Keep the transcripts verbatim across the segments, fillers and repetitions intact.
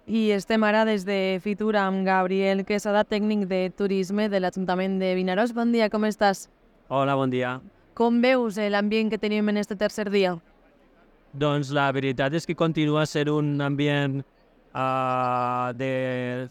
I estem ara des de Fitur amb Gabriel Quesada, tècnic de turisme de l'Ajuntament de Vinaròs. Bon dia, com estàs? Hola, bon dia. Com veus eh, l'ambient que tenim en este tercer dia? Doncs la veritat és que continua sent un ambient uh, de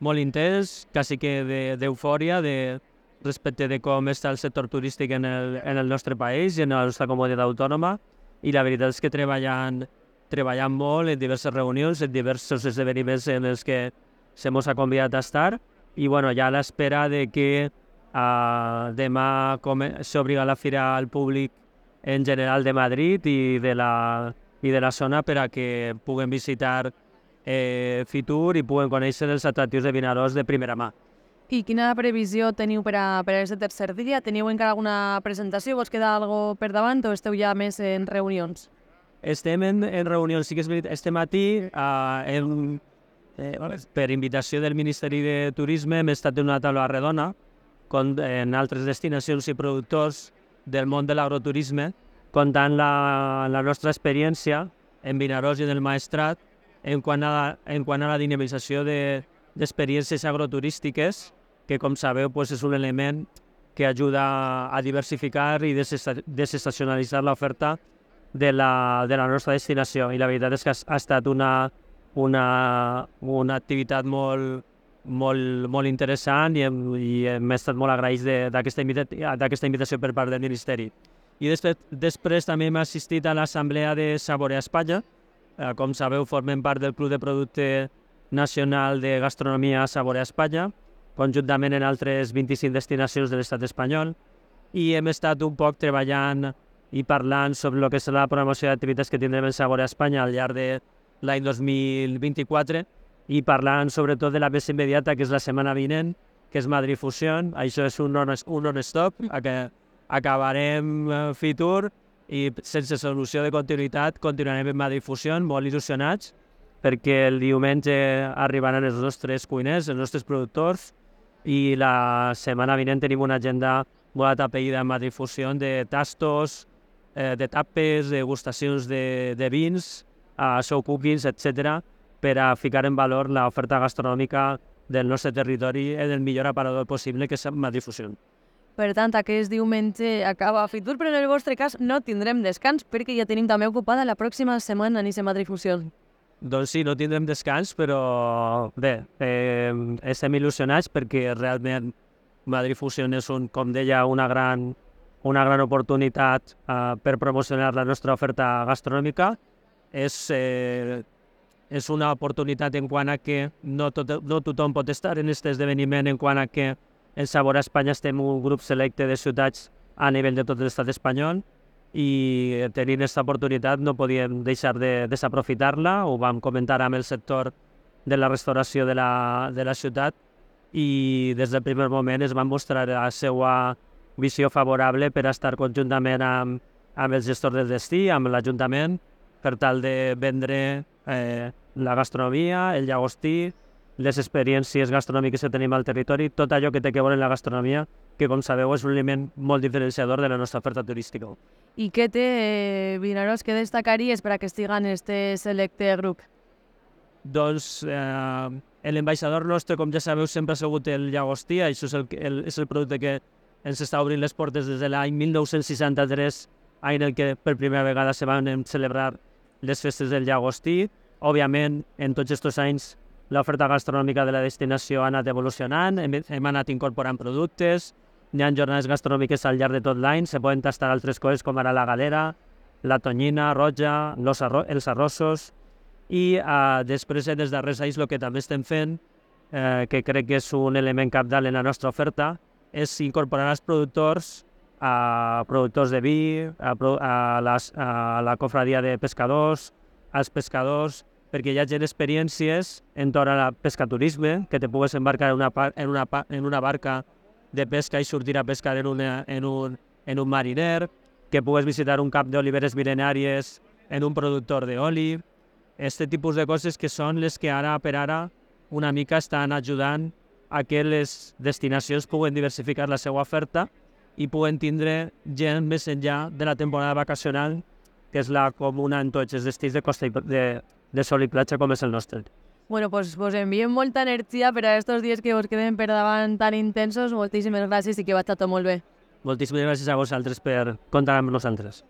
molt intens, quasi que de- d'eufòria de, respecte de com està el sector turístic en el, en el nostre país i en la nostra comunitat autònoma. I la veritat és que treballant, treballant molt en diverses reunions, en diversos esdeveniments en els que se mos ha convidat a estar. I bueno, ja a l'espera de que uh, demà come- s'obri la fira al públic en general de Madrid i de la, i de la zona per a que puguen visitar eh, Fitur i puguen conèixer els atractius de Vinaròs de primera mà. I quina previsió teniu per a, per a aquest tercer dia? Teniu encara alguna presentació? Vos queda algo per davant o esteu ja més en reunions? Estem en, en reunions, sí que és veritat, este matí, eh, en, eh, per invitació del Ministeri de Turisme, hem estat en una taula redona con, en altres destinacions i productors del món de l'agroturisme, contant la, la nostra experiència en Vinaròs i en el Maestrat en quant a, en quant a la dinamització de, d'experiències agroturístiques, que com sabeu pues, és un element que ajuda a diversificar i desesta- desestacionalitzar l'oferta de la, de la nostra destinació. I la veritat és que ha, ha estat una, una, una activitat molt, molt, molt interessant i hem, i hem estat molt agraïts de- d'aquesta invita d'aquesta invitació per part del Ministeri. I després, després també hem assistit a l'assemblea de Saborear Espanya. Eh, com sabeu, formem part del Club de Producte Nacional de Gastronomia Saborear Espanya, conjuntament en altres vint-i-cinc destinacions de l'estat espanyol, i hem estat un poc treballant i parlant sobre el que serà la programació d'activitats que tindrem en Saborear Espanya al llarg de l'any dos mil vint-i-quatre i parlant sobretot de la més immediata, que és la setmana vinent, que és Madrid Fusion. Això és un non- un non-stop, a que acabarem eh, Fitur i sense solució de continuïtat continuarem en Madrid Fusion, molt il·lusionats, perquè el diumenge arribaran els nostres cuiners, els nostres productors, i la setmana vinent tenim una agenda molt atapeïda en Madrid Fusion de tastos, eh, de tapes, degustacions de, de vins, uh, show cookings, etcètera, per a ficar en valor l'oferta gastronòmica del nostre territori en el millor aparador possible, que és Madrid Fusion. Per tant, aquest diumenge acaba Fitur, però en el vostre cas no tindrem descans perquè ja tenim també ocupada la pròxima setmana a Nice Madrid Fusion. Doncs sí, no tindrem descans, però bé, eh, estem il·lusionats perquè realment Madrid Fusion és, un, com deia, una gran, una gran oportunitat eh, per promocionar la nostra oferta gastronòmica. És, eh, és una oportunitat en quant a que no, tot, no tothom pot estar en aquest esdeveniment, en quant a que en Sabor a Espanya estem un grup selecte de ciutats a nivell de tot l'estat espanyol, i tenint aquesta oportunitat no podíem deixar de desaprofitar-la. Ho vam comentar amb el sector de la restauració de la, de la ciutat i des del primer moment es van mostrar la seva visió favorable per a estar conjuntament amb, amb els gestors del destí, amb l'Ajuntament, per tal de vendre eh, la gastronomia, el llagostí, les experiències gastronòmiques que tenim al territori, tot allò que té que veure en la gastronomia, que com sabeu és un element molt diferenciador de la nostra oferta turística. I què té eh, Vinaròs que destacaries per a que estiga en este selecte grup? Doncs eh, l'ambaixador nostre, com ja sabeu, sempre ha sigut el llagostí. Això és el, el, és el producte que ens està obrint les portes des de l'any mil nou-cents seixanta-tres, any en el que per primera vegada se van celebrar les festes del llagostí. Òbviament, en tots aquests anys, l'oferta gastronòmica de la destinació ha anat evolucionant, hem, hem anat incorporant productes, hi ha jornades gastronòmiques al llarg de tot l'any, se poden tastar altres coses com ara la galera, la tonyina roja, los arro els arrossos, i eh, després, en els darrers anys, el que també estem fent, eh, que crec que és un element cabdal en la nostra oferta, és incorporar els productors, a productors de vi, a, pro a, les, a la cofradia de pescadors, als pescadors, perquè hi hagi experiències entorn al pescaturisme, que te pugues embarcar en una, en una, en una barca de pesca i sortir a pescar en, una, en, un, en un mariner, que pugues visitar un camp d'oliveres mil·lenàries en un productor d'oli. Aquest tipus de coses que són les que ara per ara una mica estan ajudant a que les destinacions puguen diversificar la seva oferta i puguen tindre gent més enllà de la temporada vacacional, que és la comuna en tots els destins de costa i de, de sol i platja com és el nostre. Bueno, pues vos enviem molta energia per a estos dies que vos queden per davant tan intensos. Moltíssimes gràcies i que vaig tot molt bé. Moltíssimes gràcies a vosaltres per comptar amb nosaltres.